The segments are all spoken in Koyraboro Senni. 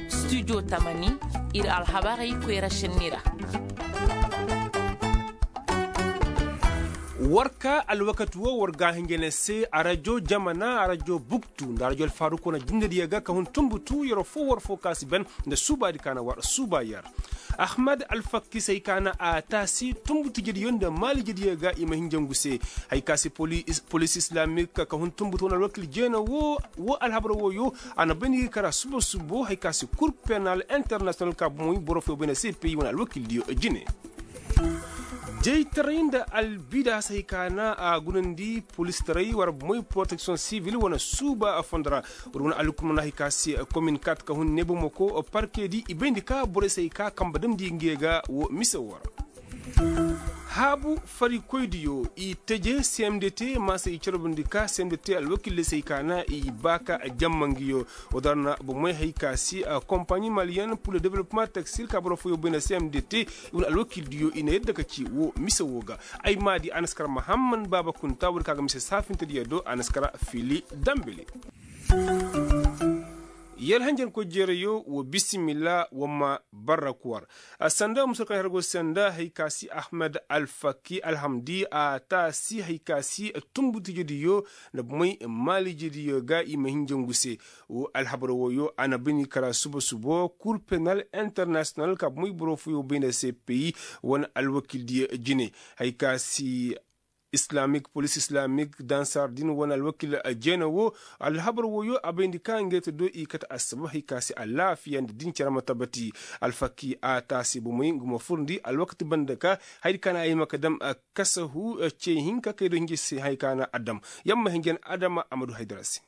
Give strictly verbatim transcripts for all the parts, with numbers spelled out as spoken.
Studio tamani, ir alhabarey koyra šenni ra. War ka alwakati wo war ga a hinja ne se arajo jamana arajo buktu nda arajo alfaruko na jindediyo ga ka hun tumbutu yer fo war fo ka si ben nda suubaadi ka na war suuba yer. Ahmad alfakki se hay ka na a taasi tumbutu jediyo nda maali jediyo ga i ma hinjangu se. Hay ka si polis islamik ka hun tumbutu wane alwakil jeena wo wo alhabar woyo. A na bayndi ga kara suba subo hay ka si kur penal internasiyonal ka bomoy boro foyo bayndi se peyi wane alwakildiyo jine. Jaytaray nda albidaas hay ka na a gunandi polistaray war bomoy poroteksiyoŋ sivil wane suuba fondo ra. War wane alhukumana hay ka si komin kat ka hun nebomoko parkedi i bayndi ka borey se hay ka kamba damndi nge ga wo mise wo ra. Haabu farikoydiyo i teje cmdt maasa i carbundi ka cmdt alwakil de se hay ka na i ba ka jamma ngiyo. Wo dara na bomey hay ka si kompaɲi maliyen pur le developement textile ka boro foyo bay nda cmdt i wane alwakildiyo i na yadda ka ci wo mise wo ga. Ay maadi a na si kara mahamman baaba kunta woodi ka ga mise saafintediyo do a na si kara fili dambili. Yer hanjankoy jeerayo wa bisimilla wa ma barra kuwar. Sanda musur kaŋ yer go sanda hay ka si ahmed alfaki alhamdi a taasi hay ka si tumbutijediyo nda bomey maalijediyo ga i ma hinjangu se. Wo alhabar woyo a na bini kara suba subo kur penal internasiyonal ka bomey boro foyo bay nda se peyi wane alwakildiyo jine. Hay ka si islamik polis islamik dansar din wane alwakil jeena wo. Alhabar woyo a bayndi ka ngey te do i kate assabab hay ka se alaafiya nda din care ma tabati. Alfaki a taasi bomey nga ma furndi alwakati banda ka haydi ka na ay ma ka dam kasahu ce hinka kay do hinja se hay ka na a dam. Yamma hinjan adama a ma du haydara se.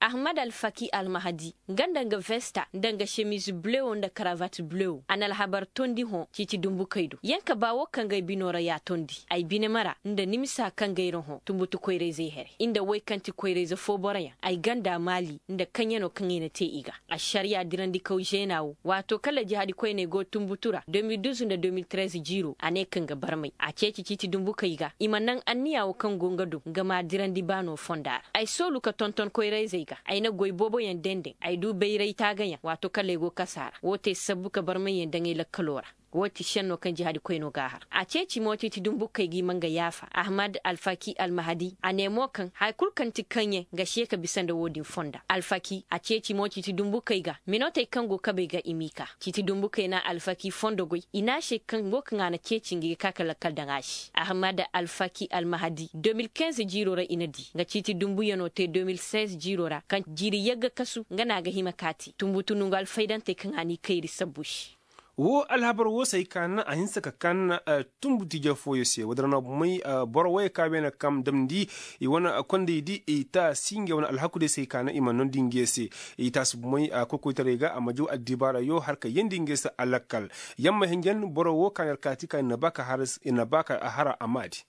Ahmad alfaki almahadi nga nda nga vesta nda nga semiz blewo nda karavat blewo a na alhabar tondi hõ ciiti dumbukey do yanka ba wo kaŋ gay bino ra ya tondi ay bine mara nda nimisa kaŋ gay ra hõ tumbutu koyrayzey here i nda woy kaŋ ti koyrayze fo boroyaŋ ay ganda maali nda kaŋyano kaŋ i na te i ga. Ašariya dirandikaw žena wo waato kala jihadikoyney go tumbutu ra deux mille douze nda deux mille treize jiiro a ne kaŋ ga barmay a ceeci ciiti dumbukey ga i ma naŋ anniya wo kaŋ go nga do nga ma dirandi baano fonda ra ay soolu ka tonton koyrayzey ga ay na goy booboyaŋ dendeŋ ay du bayray taagayaŋ waato kala ay go kasa ra woo te sabbu ka barmayyaŋ daŋ ay lakkalo ra. Woo ti šenno kaŋ jihadikoynoo ga har a ceeci mo ciiti dumbukey ga i ma nga yaafa ahmad alfaki almahadi a ne mo kaŋ haya kul kaŋ ti kaŋyaŋ ga se ka bisa nda woo din fonda alfaki a ceeci mo ciiti dumbukey ga minotey kaŋ go kabey ga i m'i ka ciiti dumbukey na alfaki fondo goy i ne a se kaŋ woo kaŋ a na ceeci nga i ga ka ka lakkal daŋ a se ahmad alfaki almahadi deux mille quinze jiiro ra i na di nga ciiti dumbuyanoo te deux mille seize jiiro ra kaŋ jiiri yagga kasu nga no a ga hima ka a te tumbutu nongu alfaydantey kaŋ a n'i kayri sabbu se. Woo alhabar woo se hay ka naŋ a hinse ka kan tumbu tije fooyo se woodin ra no bomey boro wooyo ka beene kam damndi i wane kondey di i taasi ngey wane alhaku day se hay ka naŋ i ma noondi ngey se. I taasi bomey koykoytaray ga a ma jaw addibaarayo har ka yeendi ngey se alakkal. Yamma hinjan boro woo ka na yer kaati ka ir na ba ka har a maadi.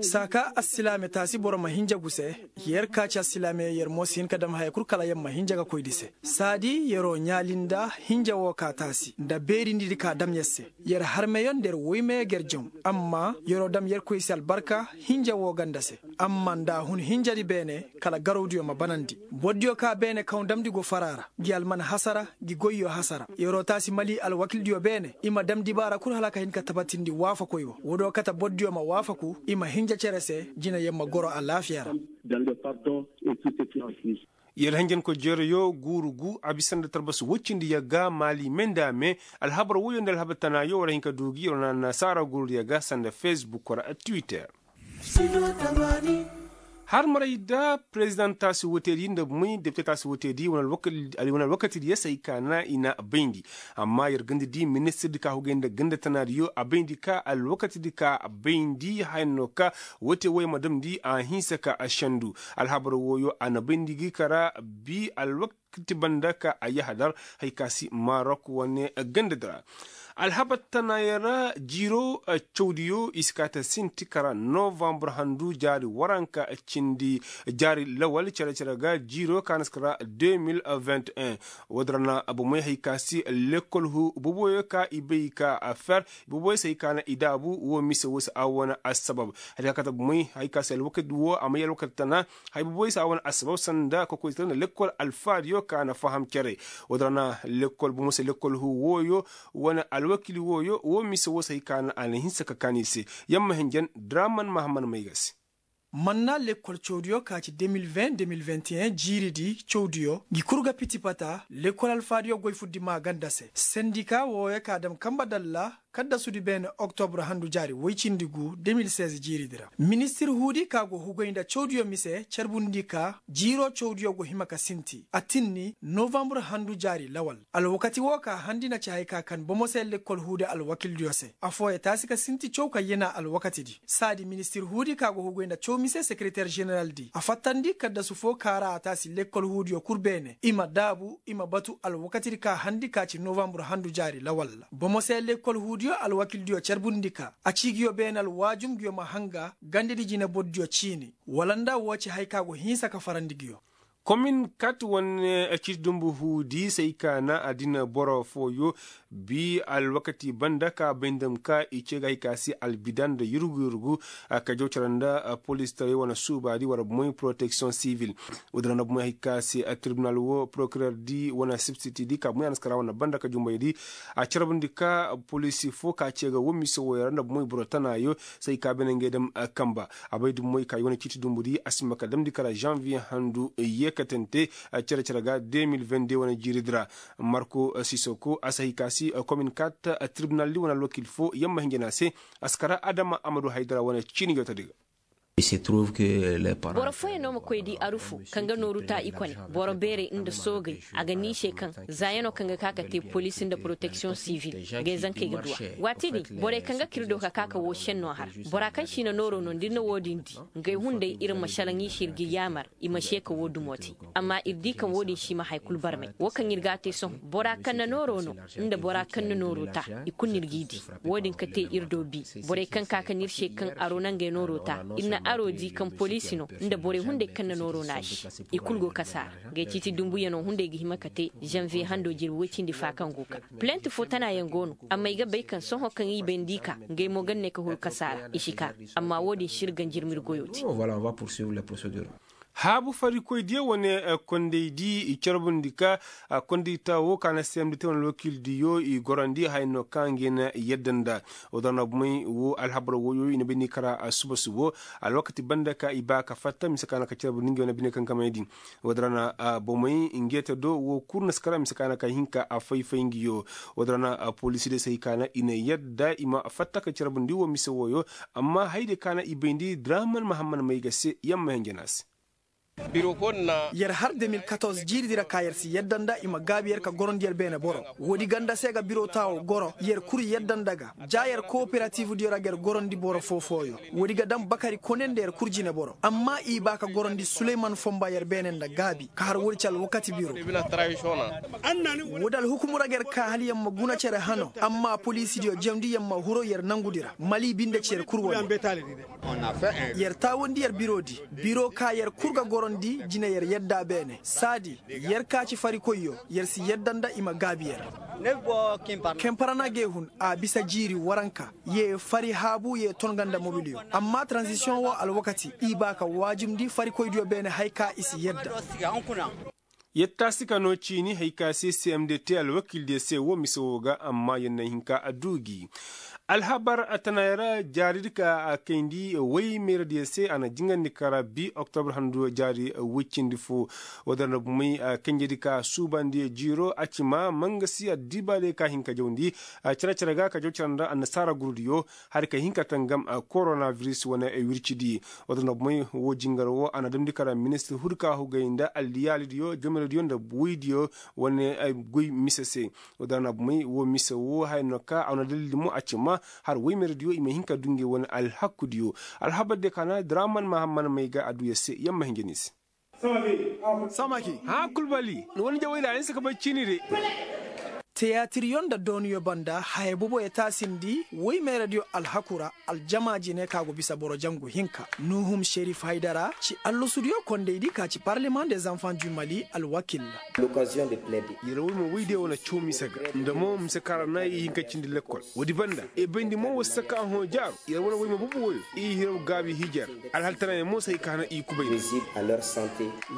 Saaka assilaame taasi boro ma hinja gu se. Yer ka ci assilaame yer mo si hin ka dam haya kul kala yer ma hinja ga koy di se saadi yeroo ɲaali nda hinja woo ka taasi nda beerindi di ka dam yer se. Yer harmeyo nda yer woymeyo ga yer jaŋ amma yeroo dam yerkoy se albarka hinja woo ganda se. Amma nda a hun hinjadi beene kala garawdiyo ma banandi bordiyo ka beene kaŋ damndi go fara ra ngi alman hasara ngi goyyo hasara yeroo taasi mali alwakildiyo beene i ma dam dibaara kul hala ka hin ka tabatindi waafakoy wo woodiyo kate bordiyo ma waafaku i ma hinja cere se jinayaŋ ma goro alaafiya ra. Yer hanjankoy jeerayo guuru gu a bisa nda talbas woy cindi yagga maali me nda a me. Alhabar woyoo nda alhabar tanaayo war a hin ka du gi yeroo na annasaara guuru yagga sanda fesbuk ra twitter. Har maray da perezidaŋ taasi woteedi nda bomey depite taasi woteedi wane alwakati diyo se hay ka na i na a bayndi. Amma yer ganda di ministir di ka hugay nda ganda tanaadiyo a bayndi ka alwakati di ka a bayndi haya no ka wote woy ma damndi a hinsa ka a sendu. Alhabar woyo a na bayndi gi kara bi alwakati banda ka a yahadar. Hay ka si marok wane ganda di ra. Alhabar tanayaŋ ra jiiro cawdiyo i si kaa ta sinti kara novambur handu jaari waranka cindi jaari lawal cere-cere ga jiiro ka na si kara deux mille vingt et un. Woodin ra na bomey hay ka si lekkol huu boboyo ka i bay ka a fer boboyo se hay ka na i daabu wo mise wo se a wane assabab. Hay ka kate bomey hay ka si alwakati wo a may alwakati tana. Hay boboyo se a wane assabab sanda kokoytaray nda lekkol alfaadiyo ka na faham cere. Woodin ra na lekkol bomo se lekkol huu wooyo wane alwakil wooyo wo mise wo se hay ka na a na hinsa ka kaan i se. Yamma hinjan draman mahamman may ga se. Manna lekkol cawdiyo ka ci deux mille vingt deux mille vingt et un jiiridi cawdiyo ngi kul ga piti pata lekkol alfaadiyo goy fuddi maa ganda se sendika wooyo ka dam kamba dalla kaddasudi beene oktobur handu jaari woy cindi gu deux mille seize jiiridi ra. Ministir huudi ka go hugay nda cawdiyo mise carbundi ka jiiro cawdiyo go hima ka sinti a tinni novambur handu jaari lawal. Alwakati woo ka handi na ci hay ka kan bomo se lekkol huudi alwakildiyo se affooyaŋ taasi ka sinti caw ka yena alwakatidi saadi ministir huudi ka go hugay nda caw mise sekereter ženeraldi a fattandi kaddasu foo ka ra a taasi lekkol huudiyo kul beene i ma daabu i ma batu alwakatidi ka handi ka ci novambur handu jaari lawal ra bomo se lekkol huudiyo alwakildiyo carbundi ka a ci nguyo beene alwaajum nguyo ma hanga gandedi jinebordiyo ciini. Wala nda woo ci hay ka go hinsa ka farandi nguyo. Komin kat wane ciiti dumbu huudi se ay ka na a dina boro fooyo bi alwakati banda ka bay nda ma ka i cee ga hay ka se albida nda yurgu yurgu ka jaw cere nda polistaray wane suubaadi war bomoy poroteksiyoŋ sivil. Woodin ra na bomoy hay ka se tribinal wo porokireerdi wane sibsitidi ka bomoy a na si kara wane banda ka jumbaydi a carbundi ka polisi foo ka cee ga wo mise wooyo ra nda bomoy boro tanaayo se ay ka beene ngey dam kamba. A bay dummoy ka i wane ciiti dumbudi a si ma ka damndi kara zanviye handu yeekatante cere-cere ga deux mille vingt deux wane jiiridi ra. Marko sisoko a si hay ka si komin kat tribinaldi wane alwakil foo yamma hinja ne a se. A si kara adama amadu haydara wane ciini jootadi ga. Boro fooyaŋ no ma koy di arufu kaŋ ga nooru ta i kone boro beerey nda soogey. A ga niisey kaŋ zaayanoo kaŋ ga ka ka te poliisi nda poroteksiyoŋ sivil. Ngey zankey ga duw'a waati din borey kaŋ ga kir do ka ka ka woo šennoo har. Bora kaŋ si na nooroo no nda ir na woo din di ngey hunday ir ma šalaŋ i se ir ga yaamar i ma šee ka woo dumo te. Amma ir di kaŋ woo din si ma haya kul barmay woo kaŋ ir ga a te sohõ bora kaŋ na nooroo no nda bora kaŋ na nooroo ta. I kul no ir g'i di woo din ka te ir do bi. Borey kaŋ ka ka no ir se kaŋ aroo na ngey nooroo ta ir na aroo di kaŋ poliisi no nda borey hunday kaŋ na nooroo no a se. I kul go kasaara. Ngey ciiti dumbuyanoo hunday ga hima ka te zanviye handoo jirbi woy cindi fa kaŋ go ka pilent foo tanaayaŋ go no. Amma ay ga bay kaŋ sohõ kaŋ i bay nda i ka ngey mo ga ne ka huru kasaara i si ka. Amma woo din si ir ganjirma ir goyoo te. Haabu farikoydiyo wane kondaydi i carbundi ka kondayta wo ka na seemdi te wane alwakildiyo i gorandi haya no ka ngey na yadda nda. Woo da na bomey wo alhabar woyo i na bay ni kara suba subo alwakati banda ka i ba ka fatta mise ka na ka carbundi ngey wane bine kankamaydi. Woo da na bomey ngey te do wo kul na si kara mise ka na ka hin ka a fay-fay nguyo. Woo da na poliisi de se hay ka na i na yadda i ma fatta ka carbundi wo mise woyo. Amma hayadiyo ka na i bayndi draman mahamman may ga se yamma hinja ne a se. Yer har deux mille quatorze jiiridi ra ka yer si yadda nda i ma gaabi yer ka gorandi yer beene boro. Woodi ganda se ga biro taawo goro yer kul yadda nda ga ja yer kooperativdiyo ra ga yer gorandi boro foo-fooyo. Woodi ga daŋ bakari kone nda yer kul jineboro amma i baa ka gorandi suleyman fonba yer beene nda gaabi ka har woodi ci alwakati biro. Woodi alhukumu ra ga yer kaa hala yer ma guna cere hano amma poliisidiyo jemndi yer ma huru yer nangudi ra mali binde ci yer kul wane. Yer taawandi yer biroodi biro ka yer kul ga gorandi jine yer yadda beene saadi yer ka ci farikoyyo yer si yadda nda i ma gaabi yer. Kemparana gee hun a bisa jiiri waranka ye fari haabu ye ton ga nda mobiliyo amma transisiyoŋ wo alwakati i baa ka waajumndi farikoydiyo beene haya ka i si yadda. Yer taasi ka noo ciini haya ka se cmd te alwakildiyo se woo mise woo ga amma yer na hin ka a duu gi. Alhabar tanaayaŋ ra jaaridi ka a kayndi woy meeradiyo se a na jingandi kara bi oktobur handu jaari woy cindi foo. Woo da na bomey kanjedi ka suubandi jiiro a ci ma mangasi addibaadiyo ka hin ka jawndi cere-cere ga ka jaw cere nda annasaara gurudiyo hari ka hin ka tangam koronabiris wane wircidi. Woo da na bomey woo jingar woo a na damndi kara ministir hudi ka hugay nda alliyaalidiyo jomerediyo nda woydiyo wane goy mise se. Woo da na bomey woo mise woo haya no ka a wane dalildi mo a ci ma har woymerediyo i ma hin ka duu ngey wane alhakudiyo. Alhabardiyo ka na draman mahamman may ga a duu yer se yer ma hinja ni se. Samaki hãa kulbali ni wane jawey ra ay na si ka bay ciini de. Tiyaatiryo nda dooniyo banda haya boboyo taasindi woy mayradiyo alhaku ra. Aljama jine ka go bisa boro jangu hinka nuhum šerif haydara ci allasudiyo kondaydi ka ci parlement des enfants du mali alwakil ra. Yer woy ma woydiyo wane caw mise ga nda mo mise kaŋ ra na i hin ka cindi lekkol. Woodi banda i bayndi mo wasa ka hõ jaaru yer wane woy ma bobo woyo i hiraw gaabi hijer. Alhal tana yer mo se hay ka hana i kubay.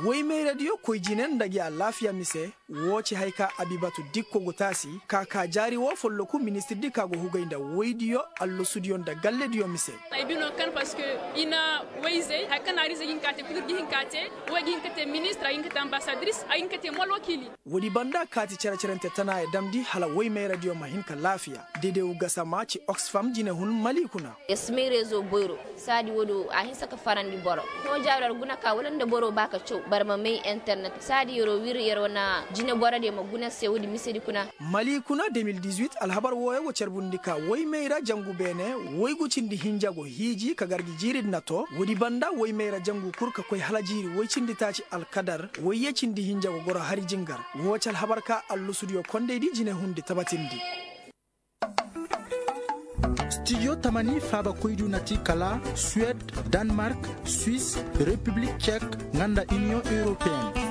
Woy mayradiyo koy jine nda gi alaafiya mise. Woo ci haya ka abibatu dikko go taasi ka ka jaari woo folloku ministirdi ka go hugay nda woydiyo allasudiyo nda gallediyo mise. Ay bino kan parceque i na woy-izey haya kaŋ na hariizey ga hin ka te kul ir ga hin ka te. Woo ay ga hin ka te ministir ay ga hin ka te ambasadris ay ga hin ka te mo alwakiili. Woodi banda kaati cere-cerante tanaaya damndi hala woy mayradiyo ma hin ka laafiya. Dedew gasama ci oxfam jinehun mali kuna. Yer si may rezo boyro. Saadi woodi a hinsa ka farandi boro. Hõ jaaru yer guna ka wala nda boro ba ka caw bara ma may internet saadi yer'o wir yer'o na jineborodiyo ma guna se woodi misedi kuna. Mali kuna de mil dix-huit alhabar wooyo go carbundi ka woy mayra jangu beene. Woygu cindi hinja go hiiji ka gar gi jiiridi na too woodi banda woy mayra jangu kul ka koy hala jiiri woy cindi taaci alkadar woyye cindi hinja go goro hari jingar. Woo ci alhabar ka allusudiyo kondaydi jinehundi tabatindi. Stijo tamani faabakoydiyo na ti kala suwed, danmark, swis, repiblik cek, nga nda iniyoŋ europeen.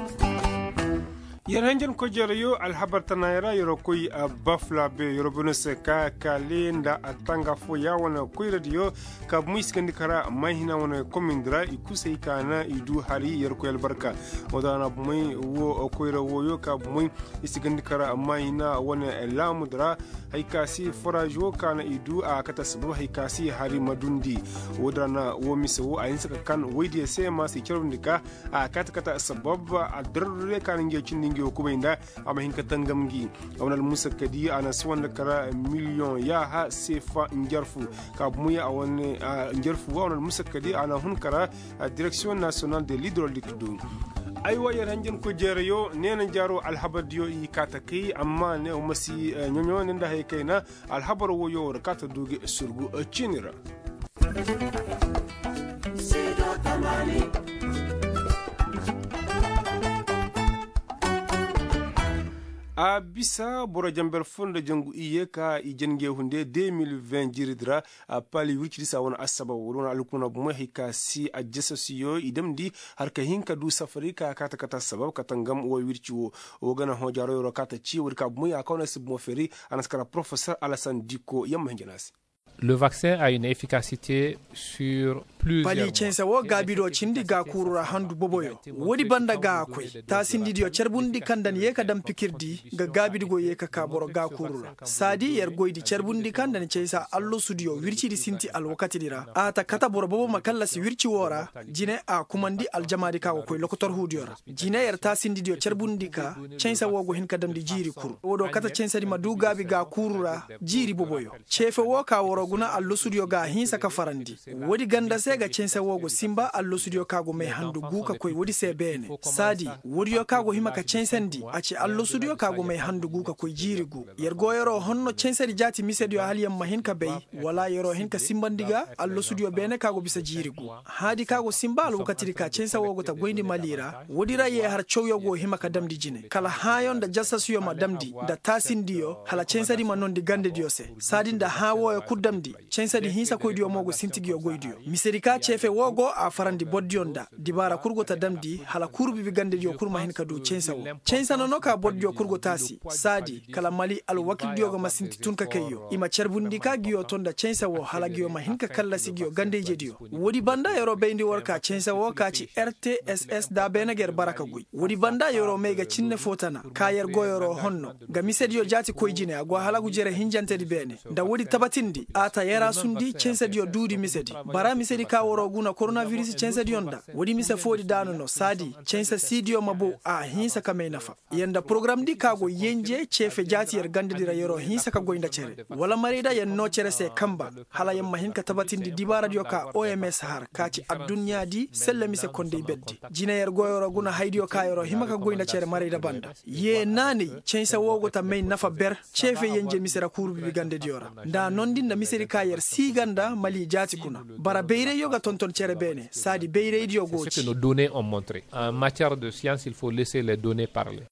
Yer hanjankoy jereyo alhabar tanaayey ra yer'o koy baflabe yer'o bano se ka kaale nda attanga fooya wane koyradiyo. Ka bumo i si gandi kara maahina wane komindi ra i kul se i kaana i du hari yer'o koy albarka. Woo da ra na bumey woo koyra wooyo ka bumey i si gandi kara maahina wane laamudi ra. Hay ka se foraaz woo ka na i du a kate assabab hay ka se hari ma dundi. Woo din ra na woo mise woo a hinse ka kan woydiyo se ma se i carbundi ka a kaate kate assabab. Addarardiyo ka na ngey cindi ngey woo kubay nda a ma hin ka tangam ngi. A wane almusakkadi a na sawandi kara miliyoŋ yaaha seefa njarfu. Ka bumoy a wane njarfu woo a wane almusakkadi a na hun kara. Direksiyoŋ nasiyonal de lidrolik do. Aywa yer hanjankoy jeereyo neena jaaro alhabardiyo i kaa ta kay amma ne wa ma si ɲoɲo ne nda haya kayna. Alhabar woyo war kaa ta du ga surgu ciini ra. A bisa boro janber foo nda jangu iyye ka i jange hunde deux mille vingt jiiridi ra. Pali wircidi se a wane assabab wala wane alhukuuna bomoy hay ka si ajjasasiyo i damndi har ka hin ka du safari ka kaa ta kate assabab ka tangam woo wirci woo. Woo ga na hõ jaaro yer'o kaa ta cii woodi ka bomoy a kaw na si bomo feeri. A na si kara porofesor alasan dikko yer ma hin jana se. Le vaccin a une efficacité sur plusieurs mois. Pali canse woo gaabido cindi gaakuuru ra handu boboyo. Woodi banda ga a koy taasindidiyo carbundi kaŋ nda ni yee ka daŋ pikirdi. Nga gaabidi go yee ka kaa boro gaakuuru ra. Saadi yer goydi carbundi kaŋ nda ni cansa allasudiyo wircidi sinti alwakatidi ra a ta kate boro bobo ma kallasi wirci woo ra. Jine a kumandi aljamaadi ka go koy lokotorhuudiyo ra. Jine yer taasindidiyo carbundi ka canse woo go hin ka damndi jiiri kul woo do kate cansedi ma duu gaabi gaakuuru ra. Jiiri boboyo ceefe woo ka war'o guna allasudiyo ga a hinsa ka farandi. Woodi ganda se ga canse woo go sinba allasudiyo ka go may handu guu ka koy woodi se beene. Saadi woodiyo ka go hima ka cansandi a ci allasudiyo ka go may handu guu ka koy jiiri guu. Yer go yer'o honno cansedi jaati misediyo hala yer ma hin ka bay wala yer'o hin ka sinbandi ga allasudiyo beene ka go bisa jiiri guu. Hãadi ka go sinba alwakatidi ka canse woo go ta goyndi mali ra woodi ra yee har cawyo go hima ka damndi jine kala hãayo nda jasasiyo ma damndi nda taasindiyo hala cansedi ma noondi gandediyo se. Saadi nda hãa wooyo kul damndi cansedi hinsakoydiyo mo go sinti nguyo goydiyo misedi ka ceefe woo go a farandi bordiyo nda dibaara kul go ta damndi hala kuuru bibi gandediyo kul ma hin ka du canse woo. Canse nono ka bordiyo kul go taasi saadi kala mali alwakildiyo ga ma sinti tun ka kayyo i ma carbundi ka nguyo to nda canse woo hala nguyo ma hin ka kallasi nguyo gandayjediyo. Woodi banda yer'o bayndi war ka canse woo ka ci rtss da beene ga yer bara ka goy woodi banda yer'o may ga cinne foo tana ka yer go yer'o honno. Nga misediyo jaati koy jine a go halagu jere hinjantedi beene. Nda woodi tabatindi a ta yaraasundi cansediyo duudi misedi. Bara misedi ka war'o guna koronabiris cansediyo nda woodi mise foodi daanu no saadi canse siidiyo ma bow a hinsa ka may nafa. Yer nda porogaramdi ka go yenje ceefe jaati yer gandedi ra yer'o hinsa ka goy nda cere wala marayda yer noo cere se kanba hala yer ma hin ka tabatindi dibaaradiyo ka oms har ka ci adduɲɲaadi selle mise konday berdi. Jine yer go yer'o guna haydiyo ka yer'o hima ka goy nda cere marayda banda. Yee naanay canse woo go ta may nafa ber ceefe yenje mise ra kuuru bibi gandediyo ra nda a noondi nda misedi ka yer sii ga nda mali jaati kuna. Bara bayrayyo ga tonton cere beene saadi bayraydiyo go ci. Nos données ont montré en matière de science il faut laisser les données parler.